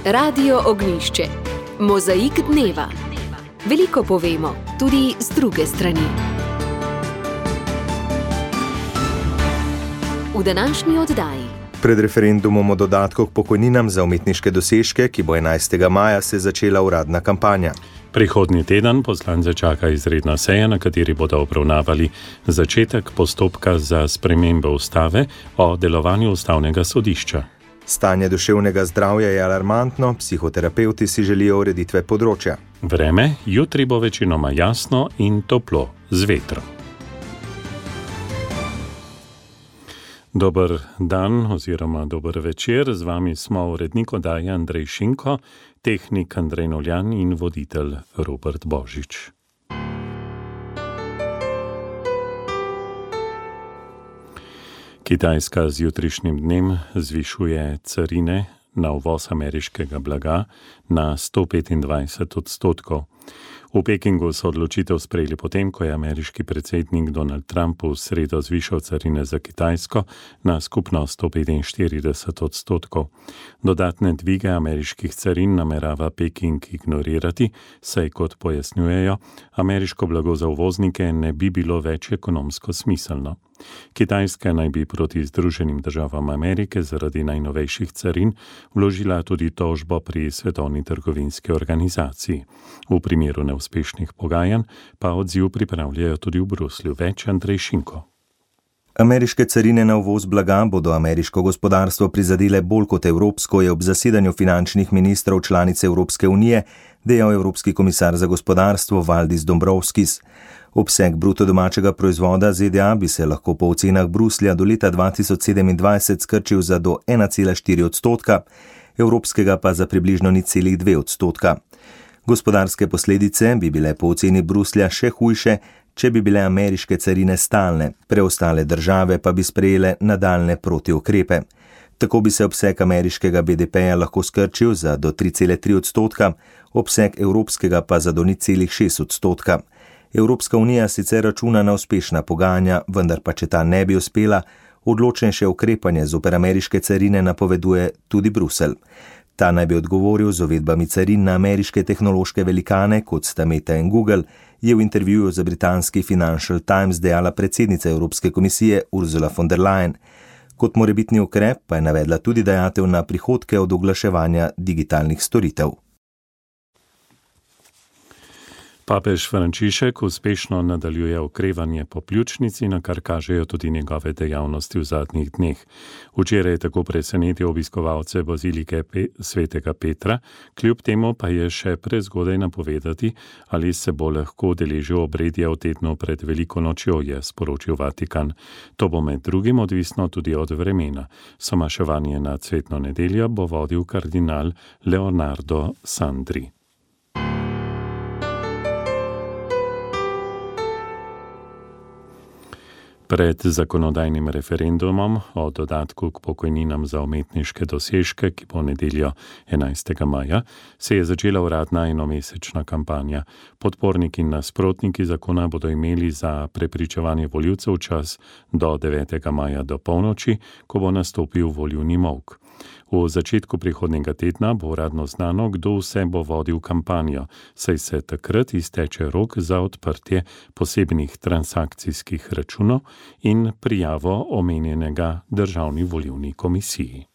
Radio Ognjišče. Mozaik dneva. Veliko povemo, tudi z druge strani. V današnji oddaji. Pred referendumom o dodatku k pokojninam za umetniške dosežke, ki bo 11. maja, se začela uradna kampanja. Prihodnji teden poslance čaka izredna seja, na kateri bodo obravnavali začetek postopka za spremembo ustave o delovanju ustavnega sodišča. Stanje duševnega zdravja je alarmantno, psihoterapevti si želijo ureditve področja. Vreme, jutri bo večinoma jasno in toplo, z vetrom. Dober dan oziroma dober večer, z vami smo urednik oddaje Andrej Šinko, tehnik Andrej Noljan in voditelj Robert Božič. Kitajska z jutrišnjim dnem zvišuje carine na uvoz ameriškega blaga na 125%. V Pekingu so odločitev sprejeli potem, ko je ameriški predsednik Donald Trump v sredo zvišal carine za Kitajsko na skupno 145%. Dodatne dvige ameriških carin namerava Peking ignorirati, saj, kot pojasnjujejo, ameriško blago za uvoznike ne bi bilo več ekonomsko smiselno. Kitajska naj bi proti Združenim državam Amerike zaradi najnovejših carin vložila tudi tožbo pri Svetovni trgovinski organizaciji. V primeru neuspešnih pogajanj pa odziv pripravljajo tudi v Bruslju. Več Andrej Šinko. Ameriške carine na uvoz blaga bodo ameriško gospodarstvo prizadele bolj kot evropsko, je ob zasedanju finančnih ministrov članice Evropske unije dejal evropski komisar za gospodarstvo Valdis Dombrovskis. Obseg bruto domačega proizvoda ZDA bi se lahko po ocenah Bruslja do leta 2027 skrčil za do 1,4%, evropskega pa za približno 0,2%. Gospodarske posledice bi bile po oceni Bruslja še hujše, če bi bile ameriške carine stalne, preostale države pa bi sprejele nadaljne protiukrepe. Tako bi se obseg ameriškega BDP-ja lahko skrčil za do 3,3%, obseg evropskega pa za do 0,6%. Evropska unija sicer računa na uspešna pogajanja, vendar pa če ta ne bi uspela, odločnejše ukrepanje zoper ameriške carine napoveduje tudi Bruselj. Ta naj bi odgovoril z uvedbami carin na ameriške tehnološke velikane, kot sta Meta in Google, je v intervjuju za britanski Financial Times dejala predsednica Evropske komisije Ursula von der Leyen. Kot morebitni ukrep pa je navedla tudi dajatev na prihodke od oglaševanja digitalnih storitev. Papež Frančišek uspešno nadaljuje okrevanje po pljučnici, na kar kažejo tudi njegove dejavnosti v zadnjih dneh. Včeraj je tako presenetil obiskovalce bazilike svetega Petra, kljub temu pa je še prezgodaj napovedati, ali se bo lahko udeležil obredja v tednu pred Veliko nočjo, je sporočil Vatikan. To bo med drugim odvisno tudi od vremena. Somaševanje na cvetno nedeljo bo vodil kardinal Leonardo Sandri. Pred zakonodajnim referendumom o dodatku k pokojninam za umetniške dosežke, ki bo nedeljo 11. maja, se je začela uradna enomesečna kampanja. Podporniki in nasprotniki zakona bodo imeli za prepričevanje volivcev čas do 9. maja do polnoči, ko bo nastopil volilni molk. V začetku prihodnjega tedna bo uradno znano, kdo vse bo vodil kampanjo, saj se takrat izteče rok za odprtje posebnih transakcijskih računov in prijavo omenjenega Državni volilni komisiji.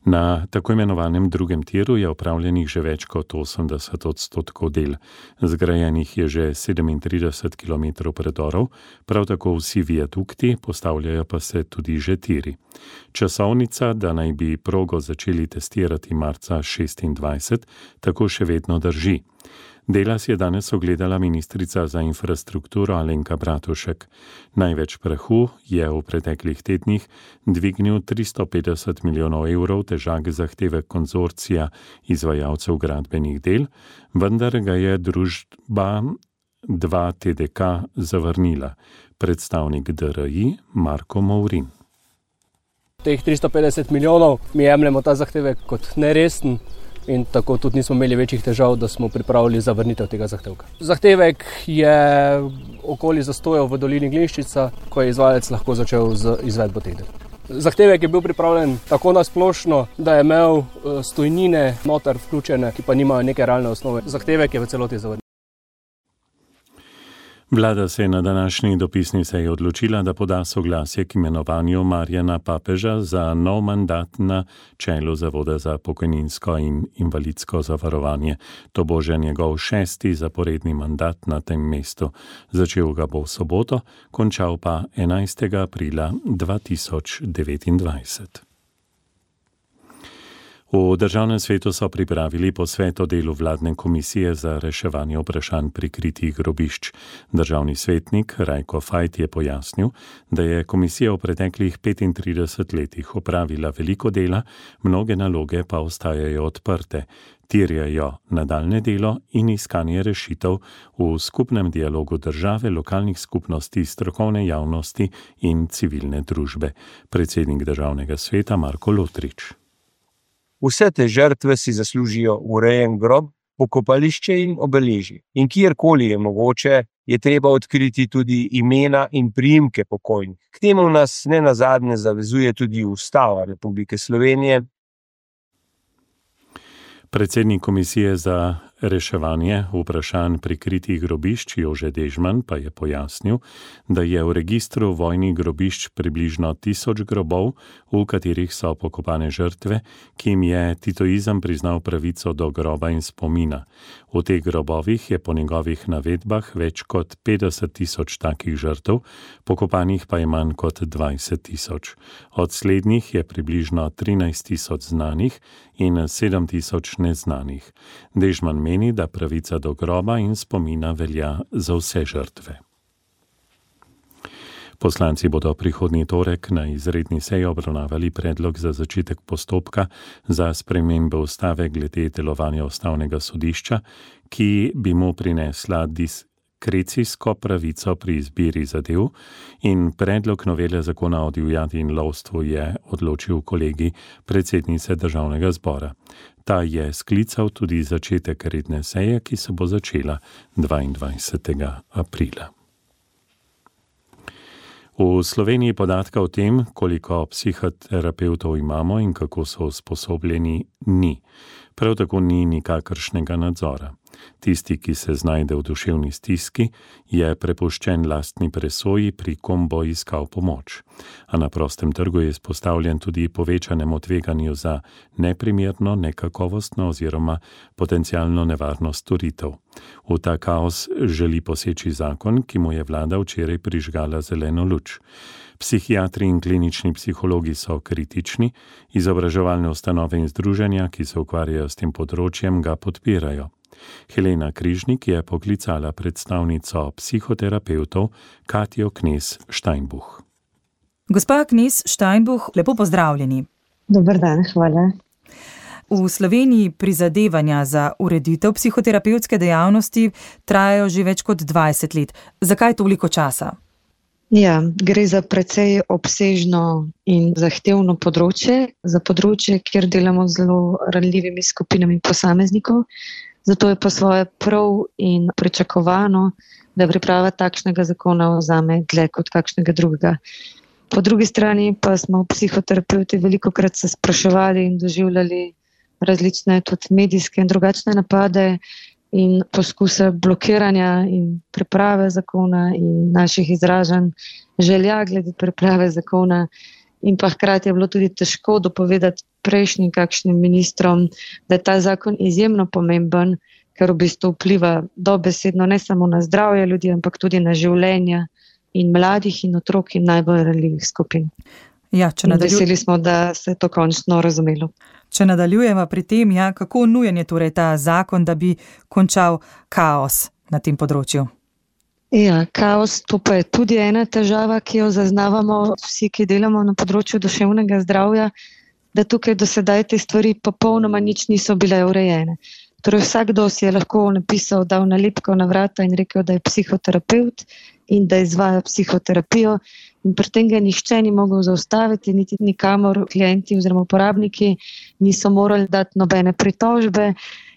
Na tako imenovanem drugem tiru je opravljenih že več kot 80% del. Zgrajenih je že 37 km predorov, prav tako vsi viadukti, postavljajo pa se tudi že tiri. Časovnica, da naj bi progo začeli testirati marca 2026, tako še vedno drži. Dela si je danes ogledala ministrica za infrastrukturo Alenka Bratušek. Največ prahu je v preteklih tednih dvignil 350 milijonov evrov težak zahtevek konzorcija izvajalcev gradbenih del, vendar ga je družba 2TDK zavrnila. Predstavnik DRI Marko Mourin. Teh 350 milijonov mi jemljemo ta zahtevek kot neresen. In tako tudi nismo imeli večjih težav, da smo pripravili zavrnitev tega zahtevka. Zahtevek je okoli zastojev v dolini Glinščica, ko je izvajalec lahko začel z izvedbo teh del. Zahtevek je bil pripravljen tako nasplošno, da je imel stojnine noter vključene, ki pa nimajo neke realne osnove. Zahtevek je v celoti zavrnjen. Vlada se je na današnji dopisni seji odločila, da poda soglasje k imenovanju Marjana Papeža za nov mandat na čelu Zavoda za pokojninsko in invalidsko zavarovanje. To bo že njegov 6. zaporedni mandat na tem mestu. Začel ga bo v soboto, končal pa 11. aprila 2029. V Državnem svetu so pripravili posvet o delu vladne komisije za reševanje vprašanj prikritih grobišč. Državni svetnik Rajko Fajt je pojasnil, da je komisija v preteklih 35 letih opravila veliko dela, mnoge naloge pa ostajajo odprte. Terjajo nadaljnje delo in iskanje rešitev v skupnem dialogu države, lokalnih skupnosti, strokovne javnosti in civilne družbe. Predsednik Državnega sveta Marko Lotrič. Vse te žrtve si zaslužijo urejen grob, pokopališče in obeležje. In kjerkoli je mogoče, je treba odkriti tudi imena in priimke pokojnih. K temu nas nenazadnje zavezuje tudi Ustava Republike Slovenije. Predsednik komisije za reševanje vprašanj prikritih grobišč Jože Dežman pa je pojasnil, da je v registru vojnih grobišč približno 1000 grobov, v katerih so pokopane žrtve, ki jim je titoizem priznal pravico do groba in spomina. V teh grobovih je po njegovih navedbah več kot 50 000 takih žrtev, pokopanih pa je manj kot 20 000. Od slednjih je približno 13 000 znanih in 7 000 neznanih. Dežman meni, da pravica do groba in spomina velja za vse žrtve. Poslanci bodo prihodnji torek na izredni seji obravnavali predlog za začetek postopka za spremembe ustave glede delovanja ustavnega sodišča, ki bi mu prinesla diskrecijsko pravico pri izbiri zadev, in predlog novele zakona o divjadi in lovstvu je odločil kolegij predsednice Državnega zbora. Ta je sklical tudi začetek redne seje, ki se bo začela 22. aprila. V Sloveniji podatka o tem, koliko psihoterapevtov imamo in kako so usposobljeni, ni. Prav tako ni nikakršnega nadzora. Tisti, ki se znajde v duševni stiski, je prepuščen lastni presoji, pri kom bo iskal pomoč. A na prostem trgu je izpostavljen tudi povečanemu tveganju za neprimerno, nekakovostno oziroma potencialno nevarnost storitev. V ta kaos želi poseči zakon, ki mu je vlada včeraj prižgala zeleno luč. Psihiatri in klinični psihologi so kritični, izobraževalne ustanove in združenja, ki se ukvarjajo s tem področjem, ga podpirajo. Helena Križnik je poklicala predstavnico psihoterapevtov Katjo Knez Steinbuch. Gospa Knez Steinbuch, lepo pozdravljeni. Dober dan, hvala. V Sloveniji prizadevanja za ureditev psihoterapevtske dejavnosti trajajo že več kot 20 let. Zakaj toliko časa? Ja, gre za precej obsežno in zahtevno področje, za področje, kjer delamo z zelo ranljivimi skupinami posameznikov. Zato je po svoje prav in pričakovano, da priprava takšnega zakona vzame dlje kot kakšnega drugega. Po drugi strani pa smo psihoterapeuti velikokrat se spraševali in doživljali različne tudi medijske in drugačne napade in poskuse blokiranja in priprave zakona in naših izražanj želja glede priprave zakona. In pa hkrati je bilo tudi težko dopovedati prejšnjim kakšnim ministrom, da je ta zakon izjemno pomemben, ker v bistvu vpliva dobesedno ne samo na zdravje ljudi, ampak tudi na življenja in mladih in otrok in najbolj ranljivih skupin. Ja, veseli smo, da se je to končno razumelo. Če nadaljujemo pri tem, kako nujen je torej ta zakon, da bi končal kaos na tem področju? Ja, kaos, to pa je tudi ena težava, ki jo zaznavamo vsi, ki delamo na področju duševnega zdravja, da tukaj do sedaj te stvari popolnoma nič niso bile urejene. Torej vsakdo si je lahko napisal, dal nalepko na vrata in rekel, da je psihoterapeut in da izvaja psihoterapijo, in pri tem ga nihče ni mogel zaustaviti, niti nikamor klienti oziroma uporabniki niso morali dati nobene pritožbe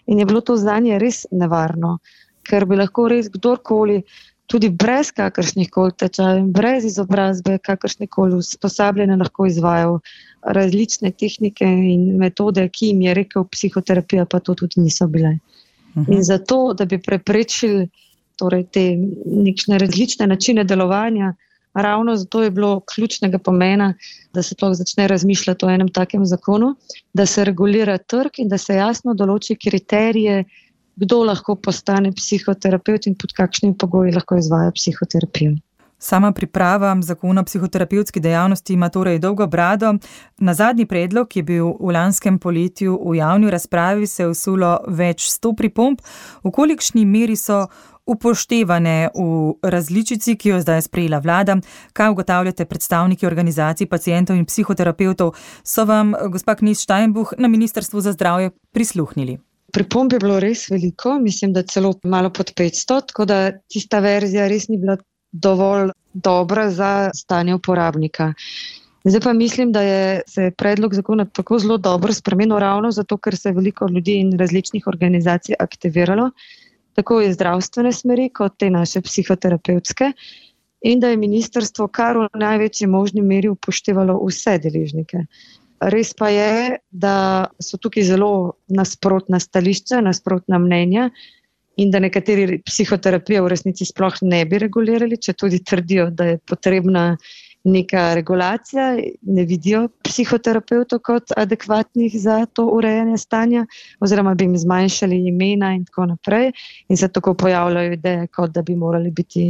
in je bilo to zanje res nevarno, ker bi lahko res kdorkoli tudi brez kakršnih koli tečajev, brez izobrazbe, kakršne koli usposabljanja lahko izvajal različne tehnike in metode, ki jim je rekel psihoterapija, pa to tudi niso bile. In zato, da bi preprečili torej, te nekšne različne načine delovanja, ravno zato je bilo ključnega pomena, da se to začne razmišljati o enem takem zakonu, da se regulira trg in da se jasno določi kriterije, kdo lahko postane psihoterapevt in pod kakšnimi pogoji lahko izvaja psihoterapijo. Sama priprava zakona o psihoterapevtski dejavnosti ima torej dolgo brado. Na zadnji predlog, ki je bil v lanskem poletju v javni razpravi, se je vsulo več 100 pripomb. V kolikšni meri so upoštevane v različici, ki jo zdaj sprejela vlada? Kaj ugotavljate predstavniki organizacij pacientov in psihoterapevtov? So vam, gospa Knez Steinbuch, na Ministrstvu za zdravje prisluhnili? Pripomb je bilo res veliko, mislim, da celo malo pod 500, tako da tista verzija res ni bila dovolj dobra za stanje uporabnika. Zdaj pa mislim, da se je predlog zakona tako zelo dobro spremenil ravno zato, ker se je veliko ljudi in različnih organizacij aktiviralo, tako iz zdravstvene smeri kot te naše psihoterapevtske, in da je ministrstvo kar v največji možni meri upoštevalo vse deležnike. Res pa je, da so tukaj zelo nasprotna stališča, nasprotna mnenja in da nekateri psihoterapije v resnici sploh ne bi regulirali, če tudi trdijo, da je potrebna neka regulacija, ne vidijo psihoterapevtov kot adekvatnih za to urejanje stanja, oziroma bi jim zmanjšali imena in tako naprej. In se tako pojavljajo ideje, kot da bi morali biti,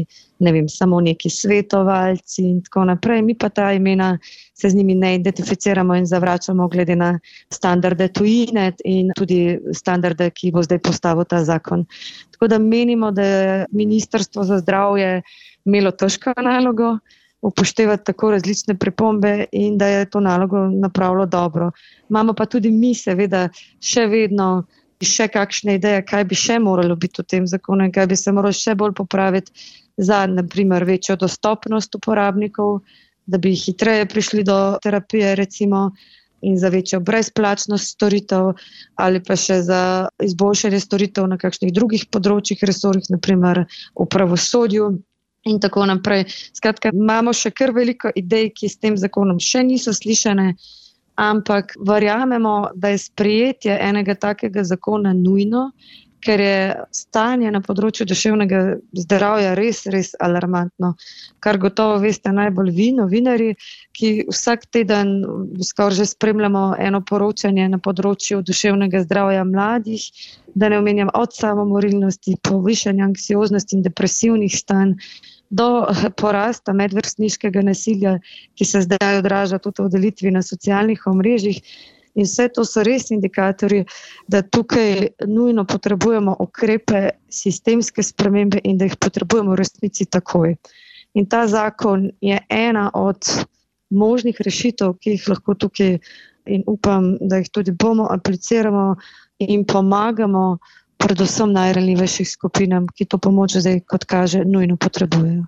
ne vem, samo neki svetovalci in tako naprej. Mi pa ta imena se z njimi ne identificiramo in zavračamo glede na standarde tujine in tudi standarde, ki bo zdaj postavil ta zakon. Tako da menimo, da je Ministrstvo za zdravje imelo težko nalogo upoštevati tako različne pripombe in da je to nalogo napravilo dobro. Imamo pa tudi mi seveda še vedno kakšne ideje, kaj bi še moralo biti v tem zakonu in kaj bi se moralo še bolj popraviti za, na primer, večjo dostopnost uporabnikov, da bi hitreje prišli do terapije recimo in za večjo brezplačnost storitev ali pa še za izboljšanje storitev na kakšnih drugih področjih, resorjih, na primer v pravosodju. In tako naprej. Skratka, imamo še kar veliko idej, ki s tem zakonom še niso slišane, ampak verjamemo, da je sprejetje enega takega zakona nujno, ker je stanje na področju duševnega zdravja res, res alarmantno. Kar gotovo veste najbolj vi, novinarji, ki vsak teden skoraj že spremljamo eno poročanje na področju duševnega zdravja mladih, da ne omenjam od samomorilnosti, povišanja anksioznosti in depresivnih stanj, do porasta medvrstniškega nasilja, ki se zdaj odraža tudi v delitvi na socialnih omrežjih. In vse to so res indikatorji, da tukaj nujno potrebujemo ukrepe, sistemske spremembe in da jih potrebujemo v resnici takoj. In ta zakon je ena od možnih rešitev, ki jih lahko tukaj in upam, da jih tudi bomo apliciramo in pomagamo predvsem najranljivejših skupinam, ki to pomoč zdaj, kot kaže, nujno potrebujejo.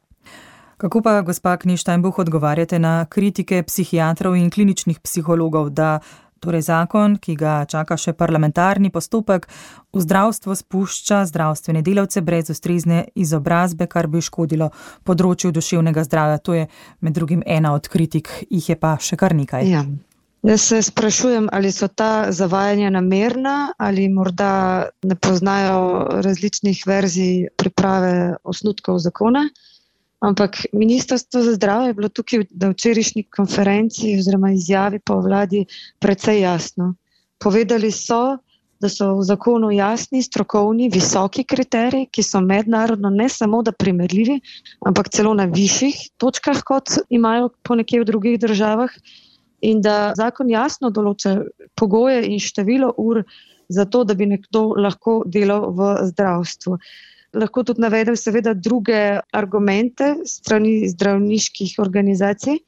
Kako pa, gospa Knez Steinbuch, odgovarjate na kritike psihiatrov in kliničnih psihologov, da torej zakon, ki ga čaka še parlamentarni postopek, v zdravstvo spušča zdravstvene delavce brez ustrezne izobrazbe, kar bi škodilo področju duševnega zdravja? To je med drugim ena od kritik, jih je pa še kar nekaj. Ja. Jaz se sprašujem, ali so ta zavajanja namerna ali morda ne poznajo različnih verzij priprave osnutkov zakona. Ampak Ministrstvo za zdravje je bilo tukaj na včerajšnji konferenci oziroma izjavi po vladi precej jasno. Povedali so, da so v zakonu jasni, strokovni, visoki kriteriji, ki so mednarodno ne samo da primerljivi, ampak celo na višjih točkah, kot imajo ponekje v drugih državah. In da zakon jasno določa pogoje in število ur za to, da bi nekdo lahko delal v zdravstvu. Lahko tudi navedem seveda druge argumente strani zdravniških organizacij.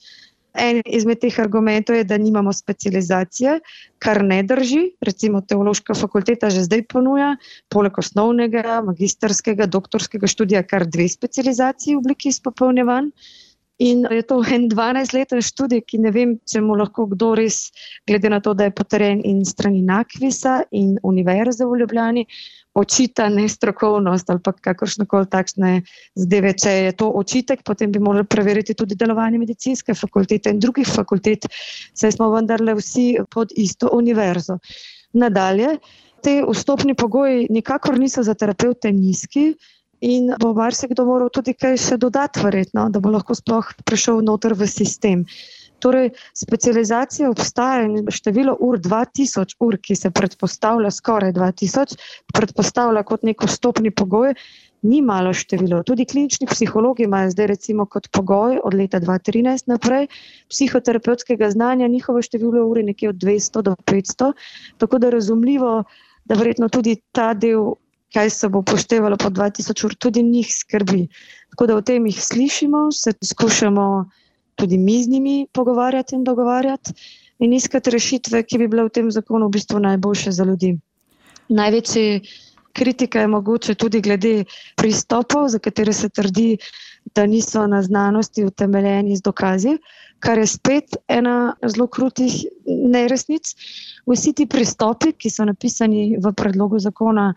En izmed teh argumentov je, da nimamo specializacije, kar ne drži. Recimo Teološka fakulteta že zdaj ponuja, poleg osnovnega, magistrskega, doktorskega študija, kar 2 specializaciji v obliki izpopolnjevanj. In je to en 12-leten študij, ki ne vem, če mu lahko kdo res, glede na to, da je potrjen in strani NAKVIS-a in Univerze v Ljubljani, očita nestrokovnost ali pa kakršnekoli takšne zadeve. Če je to očitek, potem bi morali preveriti tudi delovanje medicinske fakultete in drugih fakultet, saj smo vendarle vsi pod isto univerzo. Nadalje, te vstopni pogoji nikakor niso za terapevte nizki in bo marsikdo moral tudi kaj še dodati verjetno, da bo lahko sploh prišel noter v sistem. Torej, specializacija obstaja in število ur, 2000 ur, ki se predpostavlja skoraj 2000, predpostavlja kot nek vstopni pogoj, ni malo število. Tudi klinični psihologi imajo zdaj recimo kot pogoj od leta 2013 naprej psihoterapevtskega znanja, njihovo število ur je nekje od 200 do 500, tako da razumljivo, da verjetno tudi ta del, kaj se bo upoštevalo po 2000 ur, tudi njih skrbi. Tako da o tem jih slišimo, se skušamo tudi mi z njimi pogovarjati in dogovarjati in iskati rešitve, ki bi bile v tem zakonu v bistvu najboljše za ljudi. Največji kritika je mogoče tudi glede pristopov, za katere se trdi, da niso na znanosti utemeljeni z dokazi, kar je spet ena zelo krutih neresnic. Vsi ti pristopi, ki so napisani v predlogu zakona,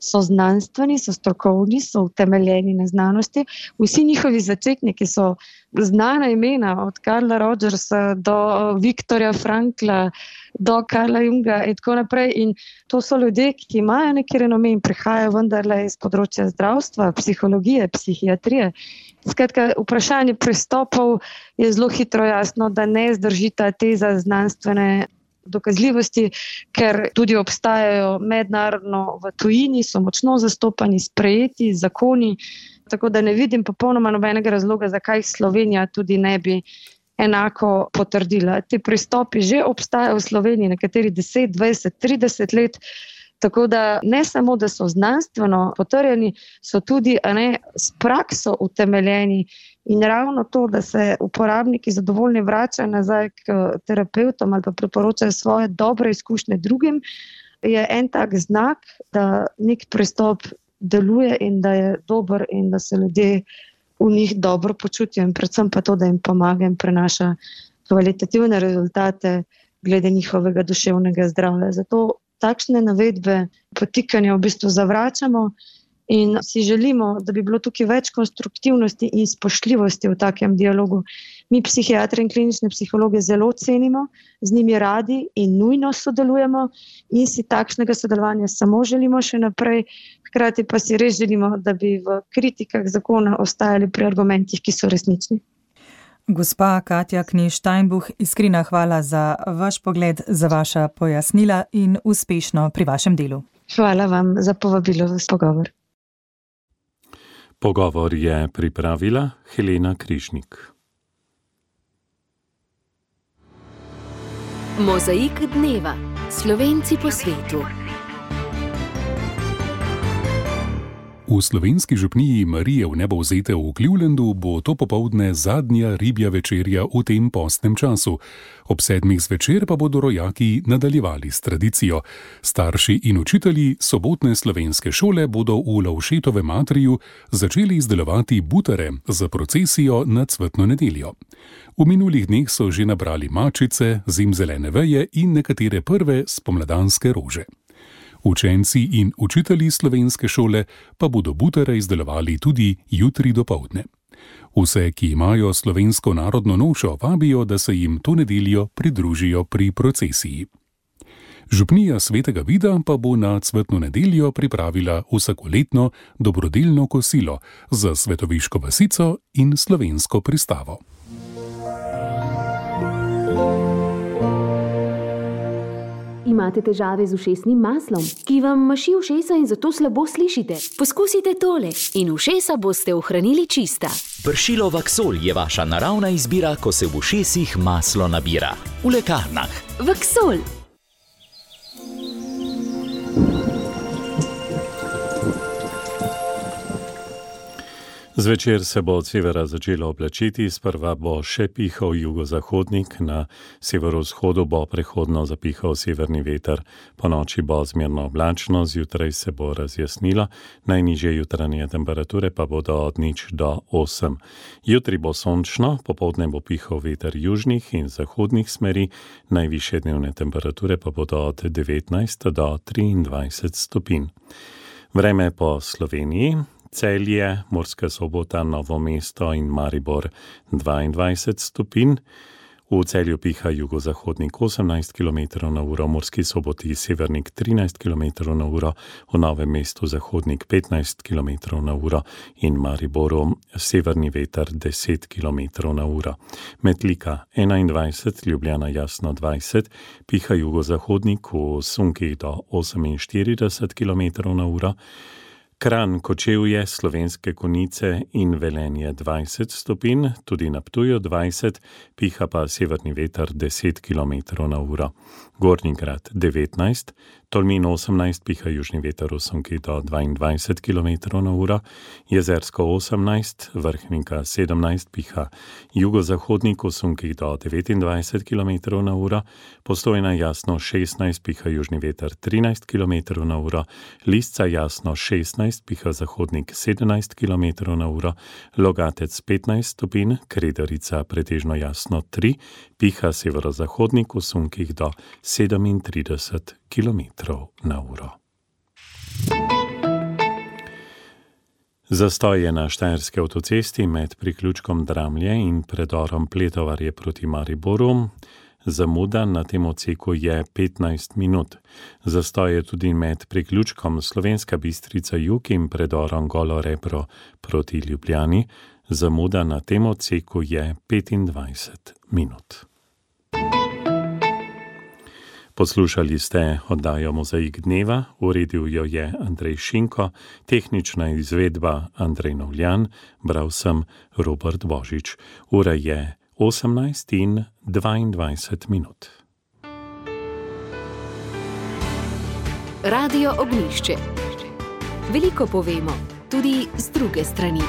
so znanstveni, so strokovni, so utemeljeni na znanosti. Vsi njihovi začetniki so znana imena, od Karla Rogersa do Viktorja Frankla, do Karla Junga in tako naprej. In to so ljudje, ki imajo neki renome in prihajajo vendarle iz področja zdravstva, psihologije, psihiatrije. Skratka, vprašanje pristopov je zelo hitro jasno, da ne zdrži ta teza znanstvene dokazljivosti, ker tudi obstajajo mednarodno v tujini, so močno zastopani, sprejeti zakoni, tako da ne vidim popolnoma nobenega razloga, zakaj Slovenija tudi ne bi enako potrdila. Ti pristopi že obstajajo v Sloveniji, nekateri 10, 20, 30 let, tako da ne samo, da so znanstveno potrjeni, so tudi s prakso utemeljeni. In ravno to, da se uporabniki zadovoljni vračajo nazaj k terapeutom ali pa priporočajo svoje dobre izkušnje drugim, je en tak znak, da nek pristop deluje in da je dober in da se ljudje v njih dobro počutijo in predvsem pa to, da jim pomaga in prenaša kvalitativne rezultate glede njihovega duševnega zdravja. Zato takšne navedbe potikanja v bistvu zavračamo in si želimo, da bi bilo tukaj več konstruktivnosti in spoštljivosti v takem dialogu. Mi psihiatri in klinične psihologe zelo cenimo, z njimi radi in nujno sodelujemo in si takšnega sodelovanja samo želimo še naprej. Hkrati pa si res želimo, da bi v kritikah zakona ostajali pri argumentih, ki so resnični. Gospa Katja Knez-Steinbuch, iskrena hvala za vaš pogled, za vaša pojasnila in uspešno pri vašem delu. Hvala vam za povabilo v pogovor. Pogovor je pripravila Helena Križnik. Mozaik dneva. Slovenci po svetu. V slovenski župniji Marije Vnebovzete v Clevelandu bo to popoldne zadnja ribja večerja v tem postnem času. Ob 7. zvečer pa bodo rojaki nadaljevali s tradicijo. Starši in učitelji sobotne slovenske šole bodo v Lovšetovem atriju začeli izdelovati butare za procesijo na cvetno nedeljo. V minulih dneh so že nabrali mačice, zimzelene veje in nekatere prve spomladanske rože. Učenci in učitelji slovenske šole pa bodo butare izdelovali tudi jutri dopoldne. Vse, ki imajo slovensko narodno nošo, vabijo, da se jim to nedeljo pridružijo pri procesiji. Župnija Svetega Vida pa bo na cvetno nedeljo pripravila vsakoletno dobrodelno kosilo za Svetoviško vasico in slovensko pristavo. Imate težave z ušesnim maslom, ki vam maši ušesa in zato slabo slišite? Poskusite tole in ušesa boste ohranili čista. Pršilo Vaksol je vaša naravna izbira, ko se v ušesih maslo nabira. V lekarnah. Vaksol. Zvečer se bo od severa začelo oblačiti, sprva bo še pihal jugozahodnik, na severovzhodu bo prehodno zapihal severni veter. Po noči bo zmerno oblačno, zjutraj se bo razjasnilo, najnižje jutranje temperature pa bodo od 0 do 8. Jutri bo sončno, popoldne bo pihal veter južnih in zahodnih smeri, najvišje dnevne temperature pa bodo od 19 do 23 stopinj. Vreme po Sloveniji: Celje, Murska Sobota, Novo mesto in Maribor 22 stopinj. V Celju piha jugozahodnik 18 km/h, Murski Soboti severnik 13 km/h, v Novem mestu zahodnik 15 km/h in Mariboru severni veter 10 km/h. Metlika 21, Ljubljana jasno 20, piha jugozahodnik v sunkih do 48 km/h. Kranj, Kočevje, Slovenske Konjice in Velenje 20 stopinj, tudi na Ptuju 20, piha pa severni veter 10 km/h. Gornji Grad 19, Tolmin 18, piha južni veter v sunkih do 22 km/h. Jezersko 18, Vrhnika 17, piha jugozahodnik v sunkih do 29 km/h. Postojna jasno 16, piha južni veter 13 km/h. Lisca jasno 16, piha zahodnik 17 km/h. Logatec 15 stopinj, Kredarica pretežno jasno 3, piha severozahodnik v sunkih do 37 km/h. Zastoj je na štajerski avtocesti med priključkom Dramlje in predorom Pletovarje proti Mariboru. Zamuda na tem odseku je 15 minut. Zastoj je tudi med priključkom Slovenska Bistrica jug in predorom Golo Rebro proti Ljubljani. Zamuda na tem odseku je 25 minut. Poslušali ste oddajo Mozaik dneva, uredil jo je Andrej Šinko, tehnična izvedba Andrej Novljan, bral sem Robert Božič. Ura je 18:22 minut. Radio Ognjišče. Veliko povemo, tudi z druge strani.